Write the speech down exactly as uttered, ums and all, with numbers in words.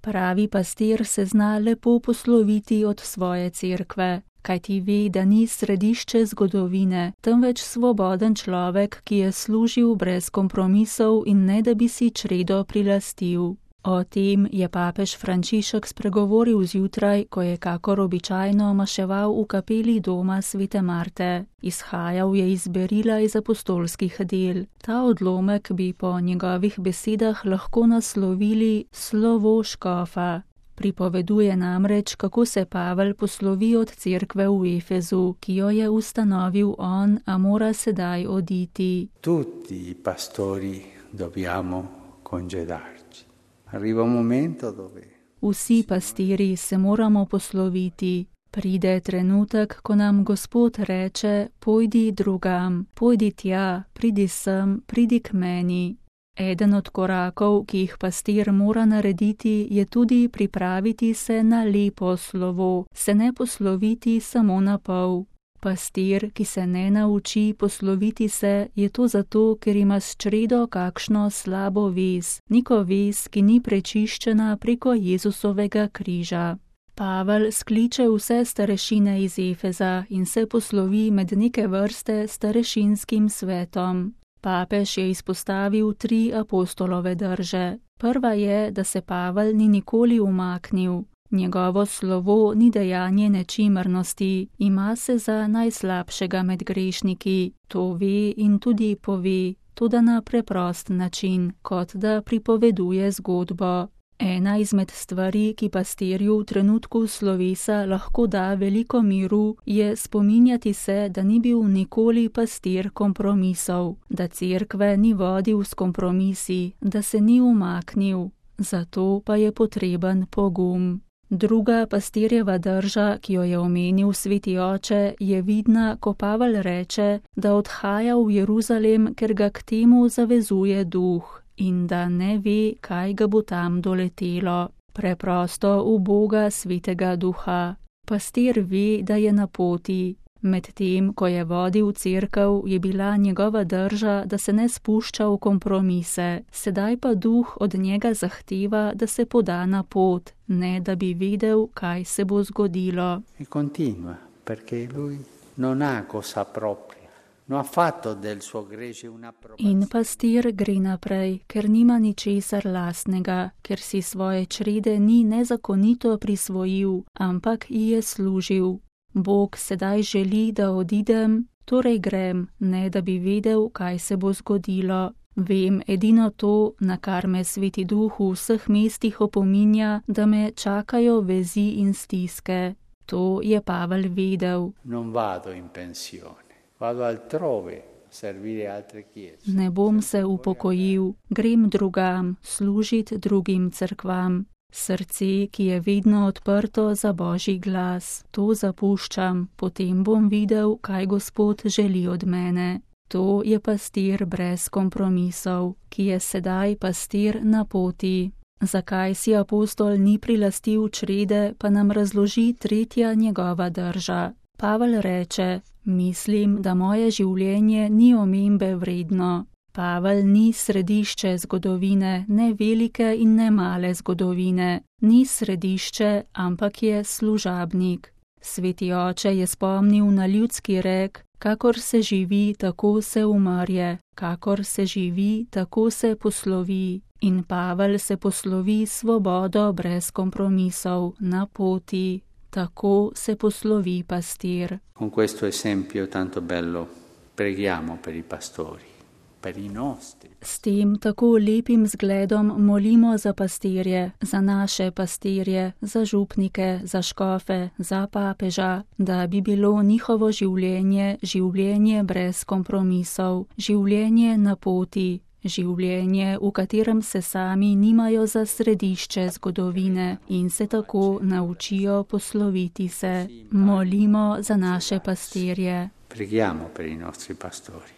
Pravi pastir se zna lepo posloviti od svoje cerkve, kajti ve, da ni središče zgodovine, temveč svoboden človek, ki je služil brez kompromisov in ne da bi si čredo prilastil. O tem je papež Frančišek spregovoril zjutraj, ko je kakor običajno maševal v kapeli doma svete Marte. Izhajal je iz berila iz apostolskih del. Ta odlomek bi po njegovih besedah lahko naslovili Slovo škofa. Pripoveduje namreč, kako se Pavel poslovi od cerkve v Efezu, ki jo je ustanovil on, a mora sedaj oditi. Tutti i pastori dobbiamo congedarci. Arriva un momento dove... Vsi pastiri se moramo posloviti. Pride trenutek, ko nam Gospod reče, pojdi drugam, pojdi tja, pridi sem, pridi k meni. Eden od korakov, ki jih pastir mora narediti, je tudi pripraviti se na lepo slovo, se ne posloviti samo na pol. Pastir, ki se ne nauči posloviti se, je to zato, ker ima s čredo kakšno slabo vez, neko vez, ki ni prečiščena preko Jezusovega križa. Pavel skliče vse starešine iz Efeza in se poslovi med neke vrste starešinskim svetom. Papež je izpostavil tri apostolove drže. Prva je, da se Pavel ni nikoli umaknil. Njegovo slovo ni dejanje nečimrnosti, ima se za najslabšega med grešniki, to ve in tudi pove, toda na preprost način, kot da pripoveduje zgodbo. Ena izmed stvari, ki pastirju v trenutku slovesa lahko da veliko miru, je spominjati se, da ni bil nikoli pastir kompromisov, da cerkve ni vodil s kompromisi, da se ni umaknil, zato pa je potreben pogum. Druga pastirjeva drža, ki jo je omenil sveti oče, je vidna, ko Pavel reče, da odhaja v Jeruzalem, ker ga k temu zavezuje duh in da ne ve, kaj ga bo tam doletelo. Preprosto v Boga svetega duha. Pastir ve, da je na poti. Medtem, ko je vodil cerkev, je bila njegova drža, da se ne spušča v kompromise, sedaj pa duh od njega zahteva, da se poda na pot, ne da bi vedel, kaj se bo zgodilo. E continua, perché lui non ha cosa propria, non ha fatto del suo gregge una approvazione. In pastir gre naprej, ker nima ničesar lastnega, ker si svoje črede ni nezakonito prisvojil, ampak ji je služil. Bog sedaj želi, da odidem, torej grem, ne da bi vedel, kaj se bo zgodilo. Vem edino to, na kar me sveti duh v vseh mestih opominja, da me čakajo vezi in stiske. To je Pavel vedel. Non vado in pensione, vado altrove, servire altre chiese. Ne bom se upokojil, grem drugam, služit drugim cerkvam. Srce, ki je vedno odprto za Božji glas, to zapuščam, potem bom videl, kaj Gospod želi od mene. To je pastir brez kompromisov, ki je sedaj pastir na poti. Zakaj si apostol ni prilastil črede, pa nam razloži tretja njegova drža. Pavel reče, mislim, da moje življenje ni omembe vredno. Pavel ni središče zgodovine, ne velike in ne male zgodovine. Ni središče, ampak je služabnik. Sveti oče je spomnil na ljudski rek, kakor se živi, tako se umrje, kakor se živi, tako se poslovi. In Pavel se poslovi svobodo brez kompromisov, na poti. Tako se poslovi pastir. Con questo esempio tanto bello preghiamo per i pastori. S tem tako lepim zgledom molimo za pastirje, za naše pastirje, za župnike, za škofe, za papeža, da bi bilo njihovo življenje življenje brez kompromisov, življenje na poti, življenje, v katerem se sami nimajo za središče zgodovine in se tako naučijo posloviti se. Molimo za naše pastirje. Preghiamo per i nostri pastori.